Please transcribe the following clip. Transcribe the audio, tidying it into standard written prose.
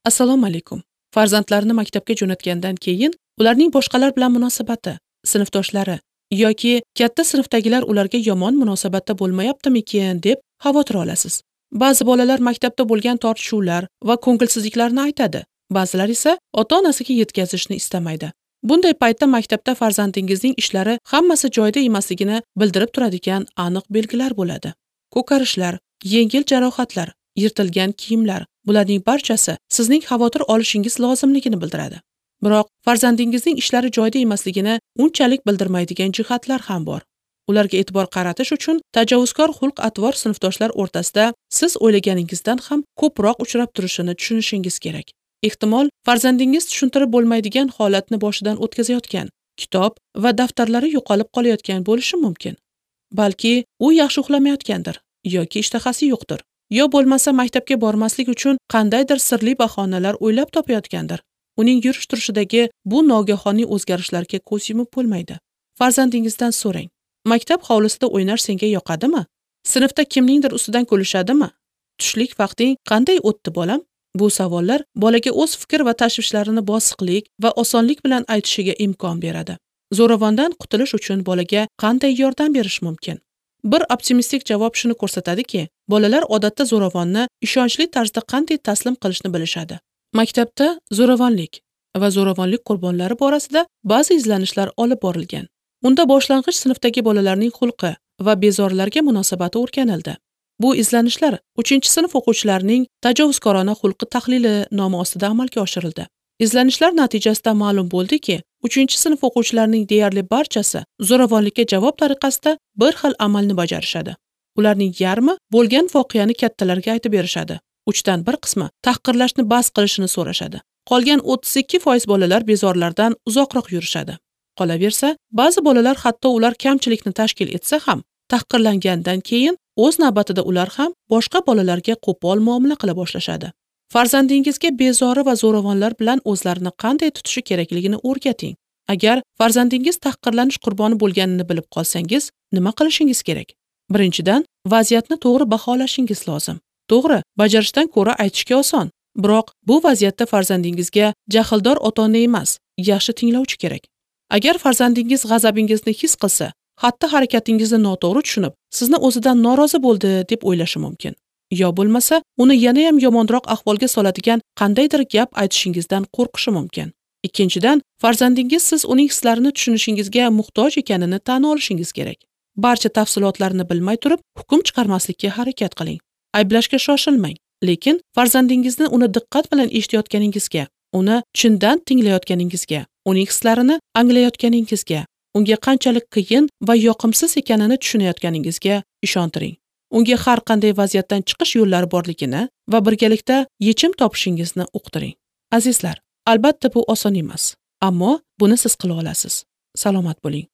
Assalomu alaykum. Farzandlarini maktabga jo'natgandan keyin ularning boshqalar bilan munosabati, sinfdoshlari yoki katta sinfdagilar ularga yomon munosabatda bo'lmayaptimikin deb xavotir olasiz. Ba'zi bolalar maktabda bo'lgan tortishuvlar va ko'ngilsizliklarni aytadi. Ba'zilar esa ota-onasiga yetkazishni istamaydi. Bunday paytda maktabda farzandingizning ishlari hammasi joyida emasligini bildirib turadigan aniq belgilar bo'ladi. Ko'karishlar, yengil jarohatlar, yirtilgan kiyimlar, bularning barchasi sizning xavotir olishingiz lozimligini bildiradi. Biroq farzandingizning ishlari joyida emasligini unchalik bildirmaydigan jihatlar ham bor. Ularga e'tibor qaratish uchun tajovuzkor xulq-atvor sinfdoshlar o'rtasida siz o'ylaganingizdan ham ko'proq uchrab turishini tushunishingiz kerak. Ehtimol, farzandingiz tushuntirib bo'lmaydigan holatni boshidan o'tkazayotgan, kitob va daftarlari yo'qolib qolayotgan bo'lishi mumkin. Balki u yaxshi uxlamayotgandir yoki ishtahasi yo'qdir. Yo bo'lmasa maktabga bormaslik uchun qandaydir sirli bahonalar o'ylab topayotgandir. Uning yurish turishidagi bu nogahoniy o'zgarishlarga ko'z yumib bo'lmaydi. Farzandingizdan so'rang. Maktab hovlisida o'ynash senga yoqadimi? Sinfda kimningdir ustidan kulishadimi? Tushlik vaqting qanday o'tdi bolam? Bu savollar bolaga o'z fikr va tashvishlarini bosiqlik va osonlik bilan aytishiga imkon beradi. Zo'ravondan qutulish uchun bolaga qanday yordam berish mumkin? Bir optimistik javob shuni ko'rsatadiki, bolalar odatda zo'ravonni ishonchli tarzda qanday taslim qilishni bilishadi. Maktabda zo'ravonlik va zo'ravonlik qurbonlari borasida ba'zi izlanishlar olib borilgan. Unda boshlang'ich sinfdagi bolalarning xulqi va bezorilarga munosabati o'rganildi. Bu izlanishlar 3-sinf o'quvchilarining tajovuzkorona xulqi tahlili nomi ostida amalga oshirildi. Izlanishlar natijasida ma'lum bo'ldiki, 3-sinf o'quvchilarining deyarli barchasi zo'ravonlikka javob tariqasida bir xil amalni bajarishadi. Ularning yarmi bo'lgan voqeani kattalarga aytib berishadi. 3dan 1 qismi tahqirlashni bas qilishini so'rashadi. Qolgan 32% bolalar bezorlardan uzoqroq yurishadi. Qolaversa, ba'zi bolalar hatto ular kamchilikni tashkil etsa ham, tahqirlangandan keyin o'z navbatida ular ham boshqa bolalarga qo'pol muomala qila boshlashadi. Farzandingizga bezori va zo'ravonlar bilan o'zlarini qanday tutishi kerakligini o'rgating. Agar farzandingiz tahqirlanish qurboni bo'lganini bilib qolsangiz, nima qilishingiz kerak? Birinchidan, vaziyatni to'g'ri baholashingiz lozim. To'g'ri, bajarishdan ko'ra aytishga oson. Biroq bu vaziyatda farzandingizga jahldor ota-ona emas, yaxshi tinglovchi kerak. Agar farzandingiz g'azabingizni his qilsa, xatti harakatingizni noto'g'ri tushunib, sizni o'zidan norozi bo'ldi deb o'ylashi mumkin. Yo bo'lmasa, uni yana ham yomonroq ahvolga soladigan qandaydir gap aytishingizdan qo'rqishi mumkin. Ikkinchidan, farzandingiz siz uning hislarini tushunishingizga muhtoj ekanini tan olishingiz kerak. Barcha tafsilotlarni bilmay turib, hukm chiqarmaslikka harakat qiling. Ayblashga shoshilmang, lekin farzandingizni uni diqqat bilan eshitayotganingizga, uni chindan tinglayotganingizga, uning hislarini anglayotganingizga, unga qanchalik qiyin va yoqimsiz ekanini tushunayotganingizga ishontiring. Unga har qanday vaziyatdan chiqish yo'llari borligini va birgalikda yechim topishingizni uqtiring. Azizlar, albatta bu oson emas, ammo buni siz qila olasiz. Salomat bo'ling.